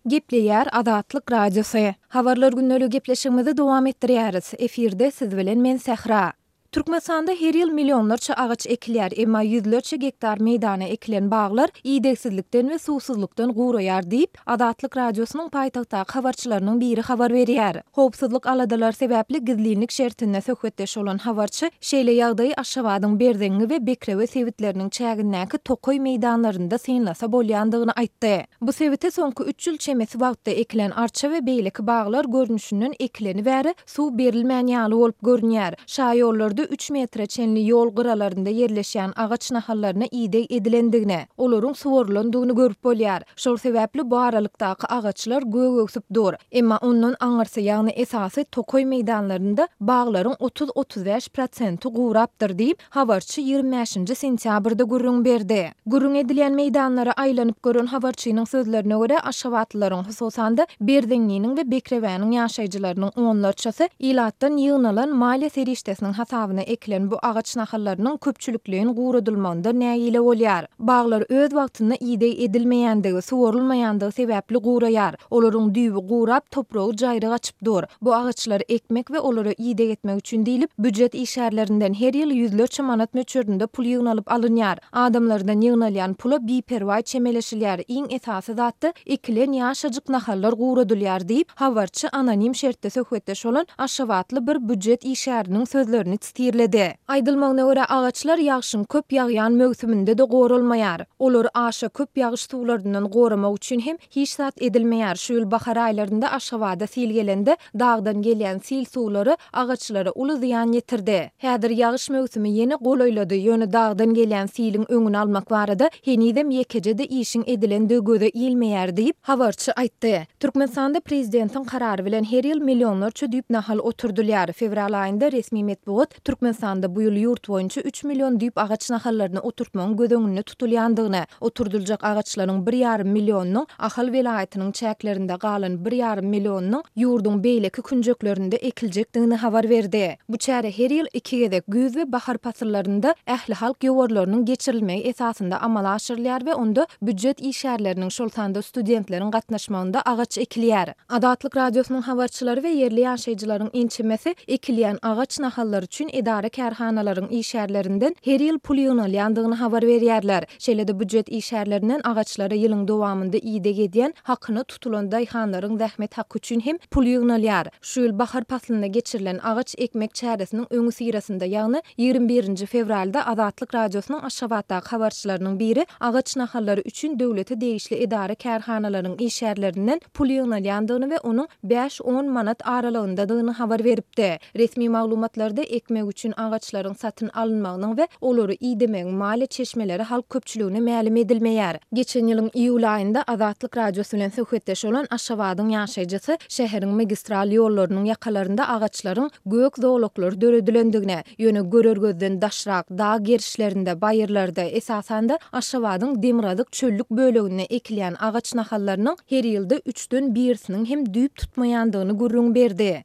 Gepleýär Azatlyk Radiosy. Habarlar gündeligi gepleşigimizi dowam etdirýäris. Efirde siz bilen men Sähra. Türkmenistanda her ýyl millionlarça agaç ekilýär, emma ýüzlerçe gektar meýdana ekilen baglar idegsizlikden we suwsuzlykdan guraýar diýip, Azatlyk Radiosynyň paýtagtdaky habarçylarynyň biri habar berýär. Howpsuzlyk aladalary sebäpli gizlinlik şertinde söhbetdeş bolan habarçy şeýle ýagdaýy Aşgabadyň Berzeňňi we Bekrewe sebitleriniň çägindäki tokaý meýdanlarynda synlasa bolýandygyny aýtdy. Bu sebite soňky üç ýyl çemesi wagtda ekilen arça we beýleki baglar görnüşinden ekileni bäri suw berilmän ýaly bolup görünýär. Şaýollarda üç metre çenli ýol gyralarynda ýerleşýän agaç nahallaryna ideg edilendigini, olaryň suwarylandygyny görüp bolýar. Şol sebäpli bu aralykdaky agaçlar gök öwsüp dur. Emma ondan aňyrsy, ýagny esasy tokaý meýdanlarynda baglaryň 30-35 prosenti gurapdyr diýip, habarçy 25-nji sentýabrda gürrüň berdi. Gürrüň edilýän meýdanlara aýlanyp gören habarçynyň sözlerine görä, aşgabatlylaryň, hususan-da, Berzeňňiniň we Bekrewäniň ýaşaýjylarynyň onlarçasy ilatdan ýygnalan maliýe serişdesiniň hasabyna ekilen bu agaç nahallarynyň köpçülikleýin guradylmagyndan nägile bolýar. Baglar öz wagtynda ideg edilmeýändigi, suwarylmaýandygy sebäpli guraýar. Olaryň düýbi gurap, topragy jaýryk açyp dur. Bu agaçlary ekmek we olara ideg etmek üçin diýlip, býujet işgärlerinden her ýyl ýüzlerçe manat möçberinde pul ýygnalyp alynýar. Adamlardan ýygnalýan pula biperwaý çemeleşilýär, iň esasy zat-da, ekilen ýaşajyk nahallar guradylýar diýip, habarçy anonim şertde söhbetdeş bolan aşgabatly bir býujet işgäriniň sözlerini tirledi. Aýdylmagyna görä, agaçlar ýagşyň köp ýagýan möwsüminde-de goralmaýar. Olary aşa köp ýagyş suwlaryndan goramak üçin hem hiç zat edilmeýär. Şu ýyl bahar aýlarynda Aşgabada sil gelende, dagdan gelýän sil suwlary agaçlara uly zyýan ýetirdi. Häzir ýagyş möwsümi ýene golaýlady, ýöne dagdan gelýän siliň öňüni almak barada henizem ýekeje-de işiň edilendigi göze ilmeýär diýip, habarçy aýtdy. Türkmenistanda prezidentiň karary bilen her ýyl millionlarça düýp nahal oturdylýar. Fewral aýynda resmi metbugat Türkmenistanda bu ýyl ýurt boýunça üç million düýp agaç nahallaryny oturtmagyň göz öňünde tutulýandygyny, oturdyljak agaçlaryň bir ýarym millionynyň Ahal welaýatynyň çäklerinde, galan bir ýarym millionynyň ýurduň beýleki künjeklerinde ekiljekdigini habar berdi. Bu çäre her ýyl iki gezek, güýz we bahar pasyllarynda ählihalk ýowarlarynyň geçirilmegi esasynda amala aşyrylýar we onda býujet işgärleriniň, şol sanda studentleriň gatnaşmagynda agaç ekilýär. Azatlyk Radiosynyň habarçylary we ýerli ýaşaýjylaryň ençemesi ekilýän agaç nahallary üçin edara-kärhanalaryň işgärlerinden her ýyl pul ýygnalýandygyny habar berýärler. Şeýle-de býujet işgärlerinden agaçlara ýylyň dowamynda ideg edýän hakyna tutulan daýhanlaryň zähmet haky üçin hem pul ýygnalýar. Şu ýyl bahar paslynda geçirilen agaç ekmek çäresiniň öňüsyrasynda, ýagny 21-nji fewralda Azatlyk Radiosynyň Aşgabatdaky habarçylarynyň biri agaç nahallary üçin döwlete degişli edara-kärhanalaryň işgärlerinden pul ýygnalýandygyny we onuň bäş-on manat aralygyndadygyny habar beripdi. Resmi maglumatlarda ekmek üçin agaçlaryň satyn alynmagynyň we olary idemegiň maliýe çeşmeleri halk köpçüligine mälim edilmeýär. Geçen ýylyň iýul aýynda Azatlyk Radiosy bilen söhbetdeş bolan Aşgabadyň ýaşaýjysy şäheriň magistral ýollarynyň ýakalarynda agaçlaryň gök zolaklary döredilendigine, ýöne görer gözden daşrak, dag gerişlerinde, baýyrlarda, esasan-da, Aşgabadyň demirgazyk çöllük böleginde ekilýän agaç nahallarynyň her ýylda üçden birisiniň hem düýp tutmaýandygyny gürrüň berdi.